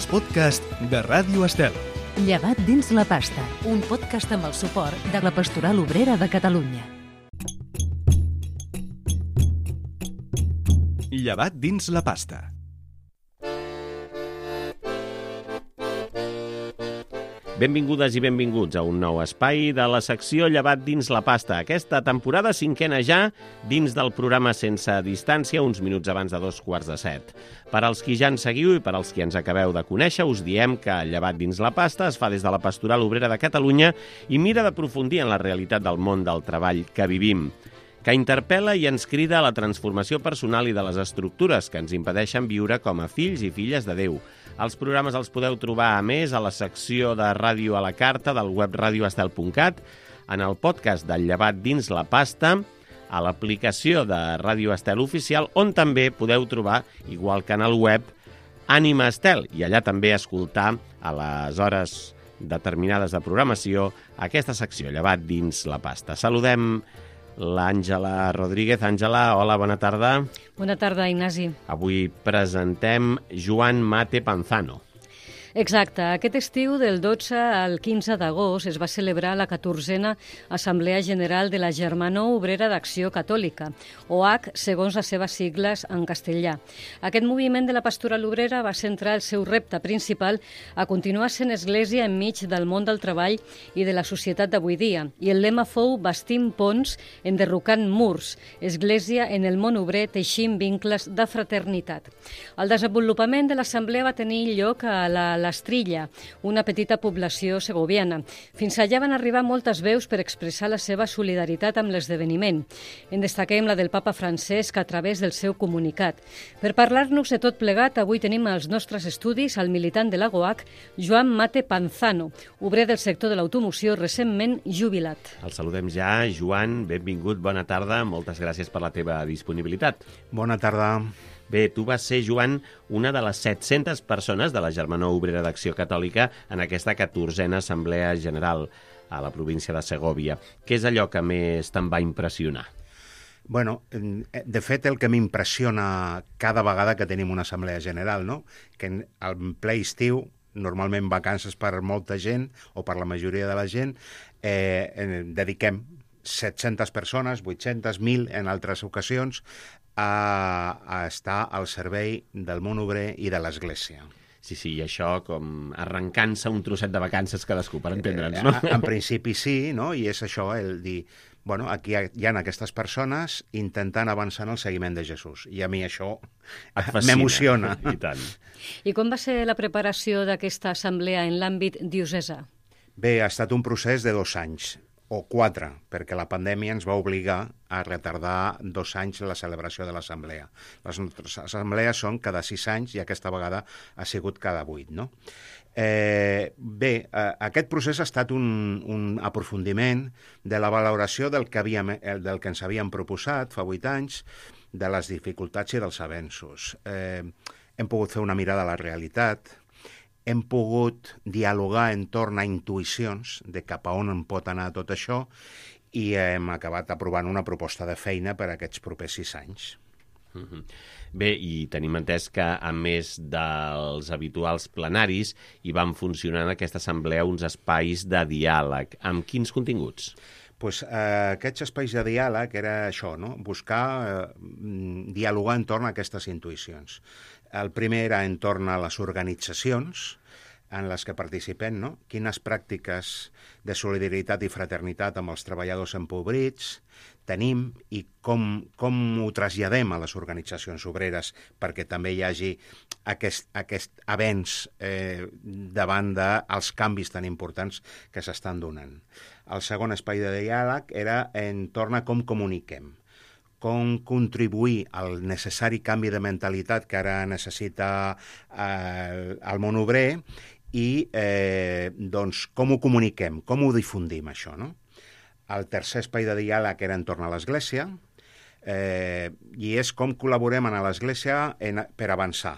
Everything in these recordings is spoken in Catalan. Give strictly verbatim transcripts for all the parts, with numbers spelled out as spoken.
els podcasts de Ràdio Estel. Llevat dins la pasta, un podcast amb el suport de la Pastoral Obrera de Catalunya. Llevat dins la pasta. Benvingudes i benvinguts a un nou espai de la secció Llevat dins la pasta. Aquesta temporada cinquena ja, dins del programa Sense Distància, uns minuts abans de dos quarts de set. Per als qui ja ens seguiu i per als qui ens acabeu de conèixer, us diem que Llevat dins la pasta es fa des de la Pastoral Obrera de Catalunya i mira d'aprofundir en la realitat del món del treball que vivim, que interpel·la i ens crida a la transformació personal i de les estructures que ens impedeixen viure com a fills i filles de Déu. Els programes els podeu trobar, a més, a la secció de Ràdio a la Carta del web radio estel punt cat, en el podcast del Llevat dins la pasta, a l'aplicació de Ràdio Estel Oficial, on també podeu trobar, igual que en el web, Ànima Estel, i allà també escoltar a les hores determinades de programació aquesta secció, Llevat dins la pasta. Saludem l'Àngela Rodríguez. Àngela, hola, bona tarda. Bona tarda, Ignasi. Avui presentem Joan Mate Panzano. Exacte. Aquest estiu, del dotze al quinze d'agost, es va celebrar la catorzena Assemblea General de la Germanor Obrera d'Acció Catòlica, O H, segons les seves sigles en castellà. Aquest moviment de la Pastoral Obrera va centrar el seu repte principal a continuar sent església enmig del món del treball i de la societat d'avui dia, i el lema fou Bastim ponts, enderrocant murs, església en el món obrer teixint vincles de fraternitat. El desenvolupament de l'assemblea va tenir lloc a la l'Estrilla, una petita població segoviana. Fins allà van arribar moltes veus per expressar la seva solidaritat amb l'esdeveniment. En destaquem la del papa Francesc a través del seu comunicat. Per parlar-nos de tot plegat, avui tenim als nostres estudis el militant de la O H, Joan Mate Panzano, obrer del sector de l'automoció recentment jubilat. El saludem ja. Joan, benvingut, bona tarda. Moltes gràcies per la teva disponibilitat. Bona tarda. Bé, tu vas ser, Joan, una de les set-centes persones de la Germanor Obrera d'Acció Catòlica en aquesta catorzena Assemblea General a la província de Segòvia. Què és allò que més te'n va impressionar? Bueno, de fet, el que m'impressiona cada vegada que tenim una assemblea general, no? Que en el ple estiu, normalment vacances per molta gent, o per la majoria de la gent, eh, dediquem set-centes persones, vuit-centes, mil en altres ocasions, a, a estar al servei del món obrer i de l'Església. Sí, sí, i això com arrencant-se un trosset de vacances cadascú, per entendre'ns, no? En, en principi sí, no? I és això, el dir, bueno, aquí hi ha aquestes persones intentant avançar en el seguiment de Jesús. I a mi això m'emociona. I tant. I com va ser la preparació d'aquesta assemblea en l'àmbit diocesà? Bé, ha estat un procés de dos anys. O quatre, perquè la pandèmia ens va obligar a retardar dos anys la celebració de l'assemblea. Les nostres assemblees són cada sis anys i aquesta vegada ha sigut cada vuit, no? Eh, bé, eh, aquest procés ha estat un, un aprofundiment de la valoració del que, havíem, del que ens havíem proposat fa vuit anys, de les dificultats i dels avenços. Eh, hem pogut fer una mirada a la realitat, hem pogut dialogar entorn a intuïcions de cap a on en pot anar tot això i hem acabat aprovant una proposta de feina per a aquests propers sis anys. Mm-hmm. Bé, i tenim entès que, a més dels habituals plenaris, hi van funcionar en aquesta assemblea uns espais de diàleg. Amb quins continguts? Pues, eh, aquests espais de diàleg era això, no? Buscar eh, dialogar entorn a aquestes intuïcions. El primer era entorn a les organitzacions en les que participem, no? Quines pràctiques de solidaritat i fraternitat amb els treballadors empobrits tenim i com, com ho traslladem a les organitzacions obreres perquè també hi hagi aquest, aquest avenç eh, davant dels canvis tan importants que s'estan donant. El segon espai de diàleg era entorn a com comuniquem, com contribuir al necessari canvi de mentalitat que ara necessita eh, el món obrer i eh, doncs, com ho comuniquem, com ho difundim, això, no? El tercer espai de diàleg era entorn a l'Església eh, i és com col·laborem a l'Església en, per avançar,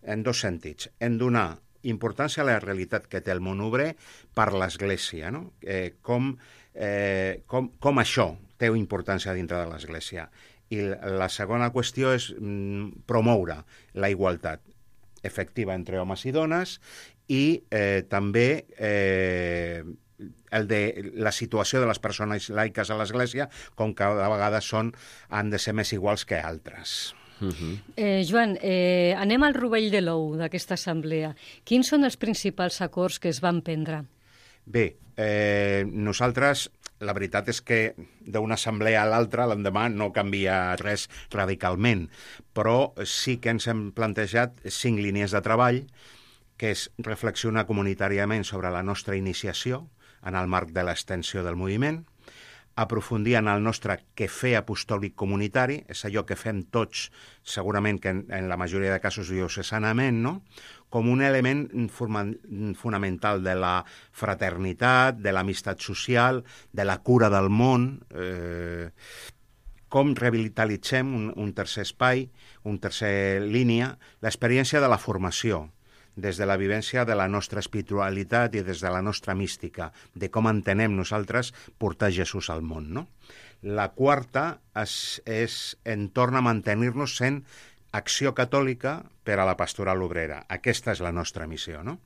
en dos sentits. En donar importància a la realitat que té el món obrer per l'Església, no? Eh, com, eh, com, com això té importància dintre de l'Església. I la segona qüestió és mm, promoure la igualtat. efectiva entre homes i dones, i eh, també eh, el de la situació de les persones laiques a l'Església, com cada vegada són, han de ser més iguals que altres. Uh-huh. eh, Joan, eh, anem al rovell de l'ou d'aquesta assemblea. Quins són els principals acords que es van prendre? Bé, eh, nosaltres, la veritat és que d'una assemblea a l'altra, l'endemà, no canvia res radicalment, però sí que ens hem plantejat cinc línies de treball, que és reflexionar comunitàriament sobre la nostra iniciació en el marc de l'extensió del moviment, aprofundir en el nostre quefer apostòlic comunitari, és allò que fem tots, segurament que en, en la majoria de casos diocesanament, no? Com un element fonamental de la fraternitat, de l'amistat social, de la cura del món, eh, com revitalitzem un, un tercer espai, un tercer línia, l'experiència de la formació, des de la vivència de la nostra espiritualitat i des de la nostra mística, de com entenem nosaltres portar Jesús al món, no? La quarta és, és entorn a mantenir-nos sent acció catòlica per a la pastoral obrera. Aquesta és la nostra missió, no?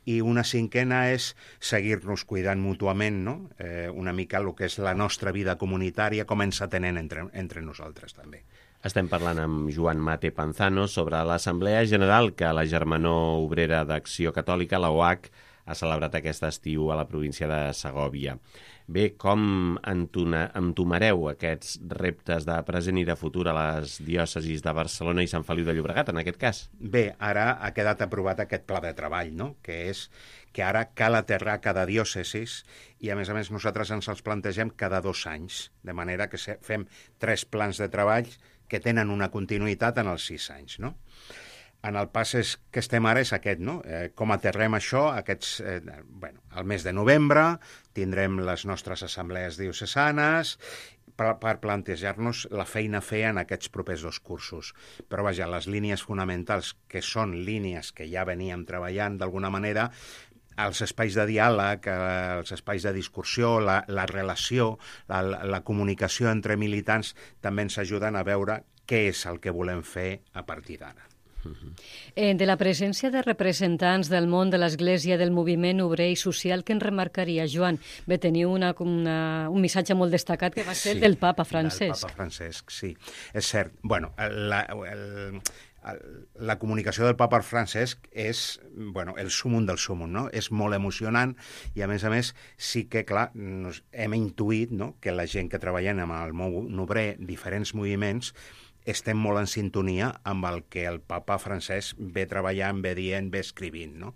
I una cinquena és seguir-nos cuidant mútuament, no? Eh, una mica el que és la nostra vida comunitària, com ens atenem entre, entre nosaltres també. Estem parlant amb Joan Mate Panzano sobre l'Assemblea General que la Germanor Obrera d'Acció Catòlica, la O H, ha celebrat aquest estiu a la província de Segòvia. Bé, com entomareu aquests reptes de present i de futur a les diòcesis de Barcelona i Sant Feliu de Llobregat, en aquest cas? Bé, ara ha quedat aprovat aquest pla de treball, no? Que és que ara cal aterrar cada diòcesis i, a més a més, nosaltres ens els plantegem cada dos anys, de manera que fem tres plans de treball que tenen una continuïtat en els sis anys, no? En el pas és, que estem ara és aquest, no? Eh, com aterrem això? Aquests, eh, bueno, al mes de novembre tindrem les nostres assemblees diocesanes per, per plantejar-nos la feina a fer en aquests propers dos cursos. Però, vaja, les línies fonamentals, que són línies que ja veníem treballant d'alguna manera, els espais de diàleg, els espais de discussió, la, la relació, la, la comunicació entre militants també ens ajuden a veure què és el que volem fer a partir d'ara. Eh, de la presència de representants del món de l'Església, del moviment obrer i social, què en remarcaria, Joan? Bé, teniu una, una, un missatge molt destacat que va ser sí, del papa Francesc. Del papa Francesc, sí. És cert. Bueno, la, el, la comunicació del papa Francesc és, bueno, el sumum del sumum, no? És molt emocionant i, a més a més, sí que, clar, nos hem intuït, no?, que la gent que treballem amb el món obrer, diferents moviments, estem molt en sintonia amb el que el papa Francesc ve treballant, ve dient, ve escrivint, no?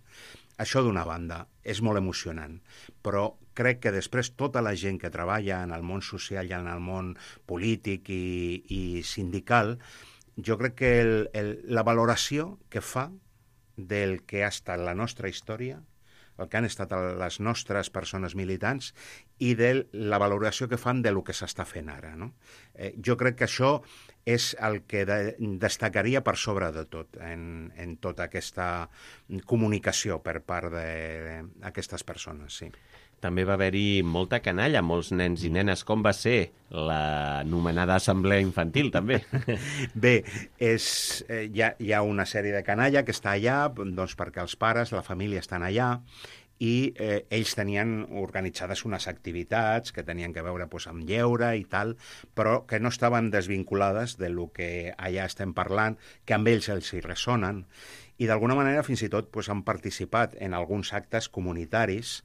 Això d'una banda és molt emocionant, però crec que després tota la gent que treballa en el món social i en el món polític i, i sindical, jo crec que el, el, la valoració que fa del que ha estat la nostra història, el que han estat les nostres persones militants i de la valoració que fan de lo que s'està fent ara, no? Eh, jo crec que això és el que de, destacaria per sobre de tot en, en tota aquesta comunicació per part d'aquestes persones, sí. També va haver-hi molta canalla, molts nens i nenes. Com va ser l'anomenada assemblea infantil, també? Bé, és, eh, hi, ha, hi ha una sèrie de canalla que està allà, doncs perquè els pares, la família estan allà, i eh, ells tenien organitzades unes activitats que tenien que veure pues, amb lleure i tal, però que no estaven desvinculades de lo que allà estem parlant, que amb ells els hi ressonen, i d'alguna manera fins i tot pues, han participat en alguns actes comunitaris,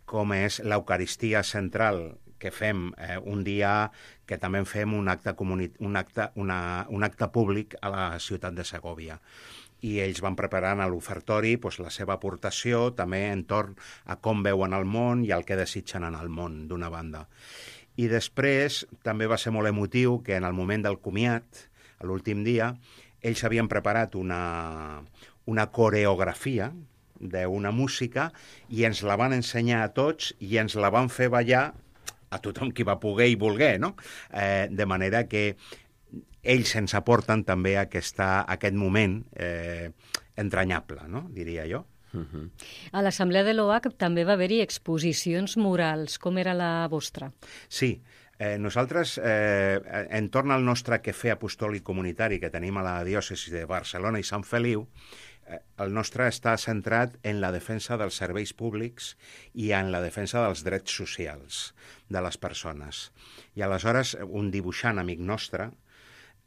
com és l'Eucaristia central que fem eh, un dia que també fem un acte, comuni- un, acte, una, un acte públic a la ciutat de Segòvia. I ells van preparant a l'ofertori pues, la seva aportació també entorn a com veuen el món i el que desitgen en el món, d'una banda. I després també va ser molt emotiu que en el moment del comiat, a l'últim dia, ells havien preparat una, una coreografia d'una música i ens la van ensenyar a tots i ens la van fer ballar a tothom qui va poder i volguer, no? Eh, de manera que ells ens aporten també aquesta, aquest moment eh, entranyable, no? Diria jo. Uh-huh. A l'Assemblea de l'O H també va haver-hi exposicions murals. Com era la vostra? Sí, eh, nosaltres, eh, entorn al nostre quefer apostòlic comunitari que tenim a la diòcesi de Barcelona i Sant Feliu, El nostre està centrat en la defensa dels serveis públics i en la defensa dels drets socials de les persones. I aleshores, un dibuixant amic nostre,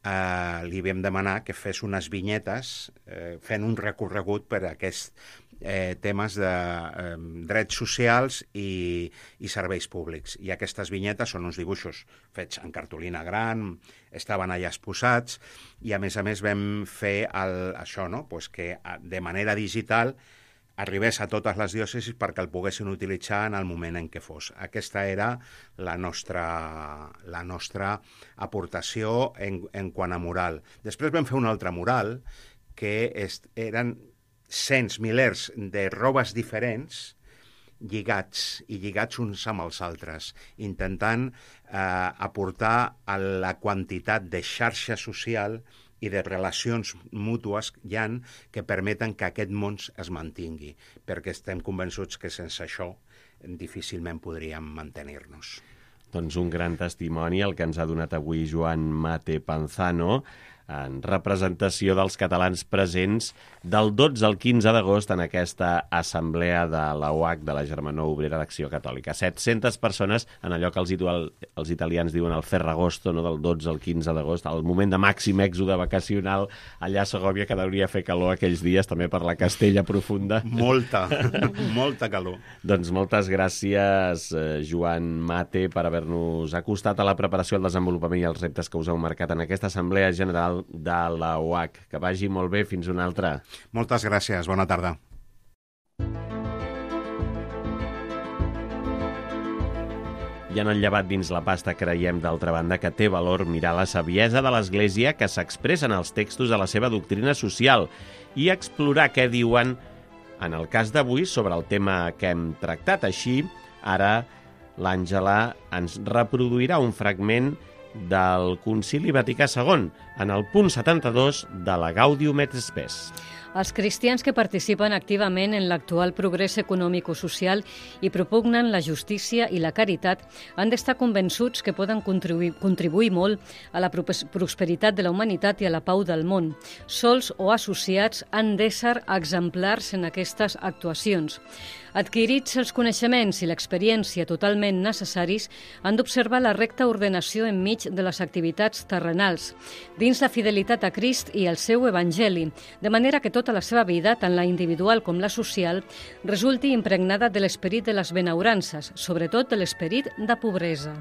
eh, li vam demanar que fes unes vinyetes eh, fent un recorregut per aquests eh, temes de eh, drets socials i, i serveis públics. I aquestes vinyetes són uns dibuixos fets en cartolina gran, estaven allà exposats, i a més a més vam fer el, això, no? Pues que de manera digital arribés a totes les diòcesis perquè el poguessin utilitzar en el moment en què fos. Aquesta era la nostra, la nostra aportació en, en quant a mural. Després vam fer un altre mural que est, eren cents, milers de robes diferents lligats i lligats uns amb els altres, intentant eh, aportar a la quantitat de xarxa social i de relacions mútues hi ha que permeten que aquest món es mantingui, perquè estem convençuts que sense això difícilment podríem mantenir-nos. Doncs un gran testimoni el que ens ha donat avui Joan Mate Panzano, en representació dels catalans presents del dotze al quinze d'agost en aquesta assemblea de la O H, de la Germanor Obrera d'Acció Catòlica. set-centes persones en allò que els, els italians diuen el Ferragosto, no? Del dotze al quinze d'agost, el moment de màxim èxode vacacional allà a Segòvia, que hauria fer calor aquells dies, també per la Castella profunda. Molta, molta calor. Doncs moltes gràcies, Joan Mate, per haver-nos acostat a la preparació, el desenvolupament i els reptes que us heu marcat en aquesta Assemblea General de la O H. Que vagi molt bé, fins una altra. Moltes gràcies, bona tarda. I en el llevat dins la pasta creiem, d'altra banda, que té valor mirar la saviesa de l'Església que s'expressa en els textos de la seva doctrina social i explorar què diuen, en el cas d'avui, sobre el tema que hem tractat. Així, ara l'Àngela ens reproduirà un fragment del Concili Vaticà segon, en el punt setanta-dos de la Gaudium et Spes. Els cristians que participen activament en l'actual progrés econòmic-social i propugnen la justícia i la caritat han d'estar convençuts que poden contribuir, contribuir molt a la prosperitat de la humanitat i a la pau del món. Sols o associats han d'ésser exemplars en aquestes actuacions. Adquirits els coneixements i l'experiència totalment necessaris, han d'observar la recta ordenació enmig de les activitats terrenals, dins la fidelitat a Crist i al seu Evangeli, de manera que tota la seva vida, tant la individual com la social, resulti impregnada de l'esperit de les benaurances, sobretot de l'esperit de pobresa.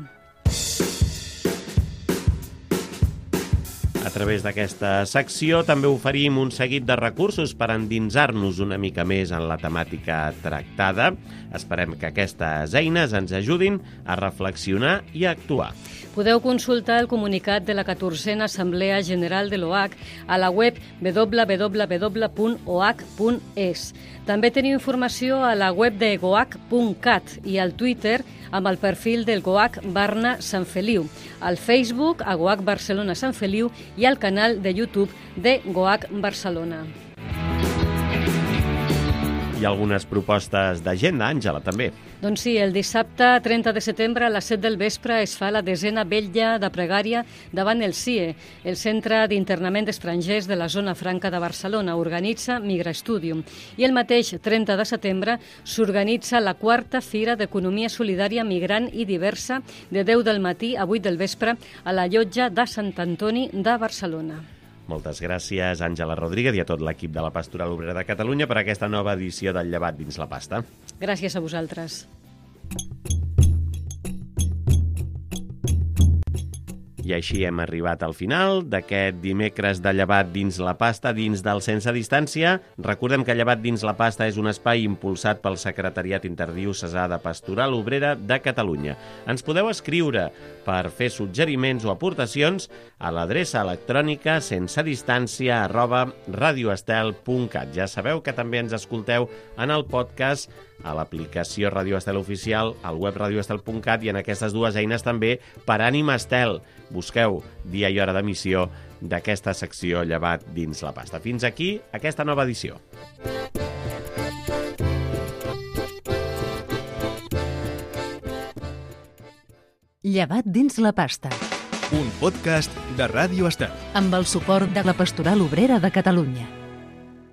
A través d'aquesta secció també oferim un seguit de recursos per endinsar-nos una mica més en la temàtica tractada. Esperem que aquestes eines ens ajudin a reflexionar i a actuar. Podeu consultar el comunicat de la catorzena Assemblea General de l'O H a la web w w w punt o h punt es. També teniu informació a la web de goach punt cat i al Twitter amb el perfil del Goach Barna Sant Feliu, al Facebook a Goach Barcelona Sant Feliu i al canal de YouTube de Goach Barcelona. Hi ha algunes propostes d'agenda, Àngela, també. Doncs sí, el dissabte trenta de setembre a les set del vespre es fa la desena vetlla de pregària davant el C I E, el Centre d'Internament d'Estrangers de la Zona Franca de Barcelona. Organitza Migra Studium. I el mateix trenta de setembre s'organitza la quarta Fira d'Economia Solidària Migrant i Diversa de deu del matí a vuit del vespre a la llotja de Sant Antoni de Barcelona. Moltes gràcies, Àngela Rodríguez, i a tot l'equip de la Pastoral Obrera de Catalunya per aquesta nova edició del Llevat dins la pasta. Gràcies a vosaltres. I així hem arribat al final d'aquest dimecres de Llevat dins la pasta, dins del Sense Distància. Recordem que Llevat dins la pasta és un espai impulsat pel Secretariat Interdiocesà de Pastoral Obrera de Catalunya. Ens podeu escriure per fer suggeriments o aportacions a l'adreça electrònica sensedistància arroba radioestel punt cat. Ja sabeu que també ens escolteu en el podcast, a l'aplicació Radio Estel Oficial, al web radioestel punt cat i en aquestes dues eines també per Ànima Estel. Busqueu dia i hora d'emissió d'aquesta secció Llevat dins la pasta. Fins aquí aquesta nova edició. Llevat dins la pasta. Un podcast de Ràdio Estel. Amb el suport de la Pastoral Obrera de Catalunya.